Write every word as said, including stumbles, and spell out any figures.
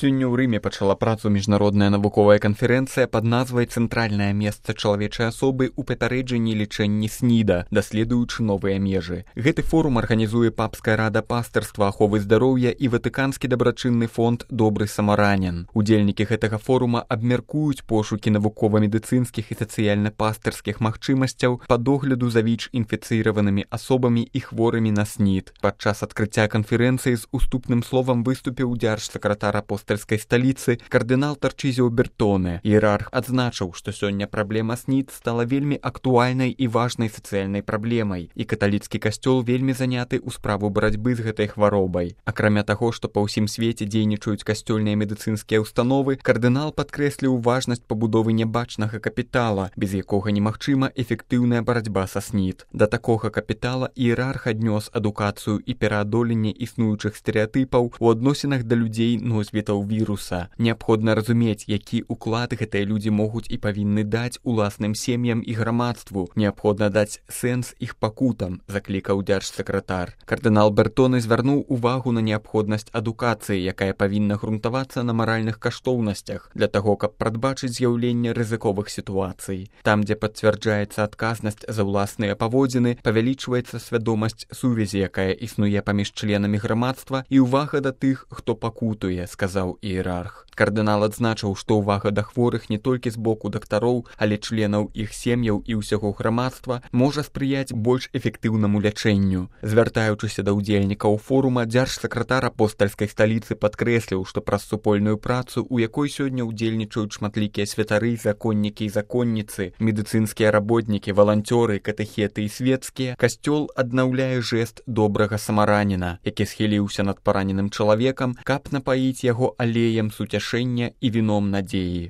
Сёння ў Рыме пачала працу міжнародная навуковая канферэнцыя пад назвай «Цэнтральнае месца чалавечай асобы ў папярэджанні і лічэнні СНІДа, даследуючы новыя межы». Гэты форум арганізуе Папская рада пастырства, аховы здароўя і Ватыканскі дабрачынны фонд «Добры самаранін». Удзельнікі гэтага форума абмяркуюць пошукі навукова-медыцынскіх і сацыяльна-пастырскіх магчымасцяў па догляду за ВІЧ-інфіцыраванымі асобамі і хворымі на СНІД. Падчас адкрыцця канферэнцыі з уступным словам выступіў дзяржсакратар апостальскай сталіцы кардынал Тарчызіо Бертоне. Іерарх адзначыў, што сёння праблема СНІД стала вельмі актуальнай і важнай сацыяльнай праблемай, і каталіцкі касцёл вельмі заняты ў справу барацьбы з гэтай хваробай. Акрамя таго, што па ўсім свеце дзейнічаюць касцёльныя медыцынскія ўстановы, кардынал падкрэсліў важнасць пабудовы нябачнага капітала, без якога немагчыма эфектыўная барацьба са СНІД. Да такога капітала іерарх аднёс адукацыю і пераадоленне існуючых стэрэатыпаў у адносінах да людзей носьбітаў віруса. Неабходна разумець, які ўклад гэтыя людзі могуць і павінны даць уласным сем'ям і грамадству. Неабходна даць сэнс іх пакутам, заклікаў дзяржсакратар. Кардынал Бертоне звярнуў увагу на неабходнасць адукацыі, якая павінна грунтавацца на маральных каштоўнасцях, для таго, каб прадбачыць з'яўленне рызыковых сітуацый. Там, дзе пацвярджаецца адказнасць за ўласныя паводзіны, павялічваецца свядомасць сувязі, якая існуе паміж членамі грамадства, і ўвага да тых, хто пакутуе, сказаў іерарх. Кардынал адзначыў, што ўвага да хворых не толькі з боку дактароў, але членаў іх сем'яў і ўсяго грамадства можа спрыяць больш эфектыўнаму лячэнню. Звяртаючыся да ўдзельнікаў форума, дзяржсакратар апостальскай сталіцы падкрэсліў, што праз супольную працу, у якой сёння ўдзельнічаюць шматлікія святары, законнікі і законніцы, медыцынскія работнікі, валанцёры, катэхеты і свецкія, касцёл аднаўляе жэст добрага самараніна, які схіліўся над параненым чалавекам, каб напаіць яго алеем суцяшэння і віном надзеі.